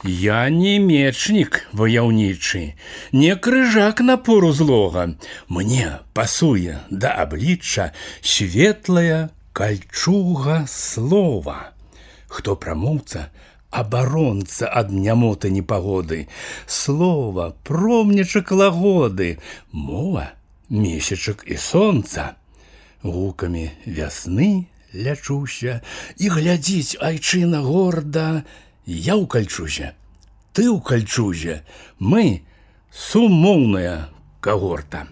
Я не мечнік ваяўнічы, не крыжак напору злога. Мне пасуе да аблічча светлая кальчуга слова. Хто прамоўца, абаронца ад нямоты непагоды. Слова, промнічак лагоды, мова, месячак і сонца. Гукамі вясны лячуся, і глядзіць айчына горда. Я ў кальчузе, ты ў кальчузе, мы сумоўная кагорта.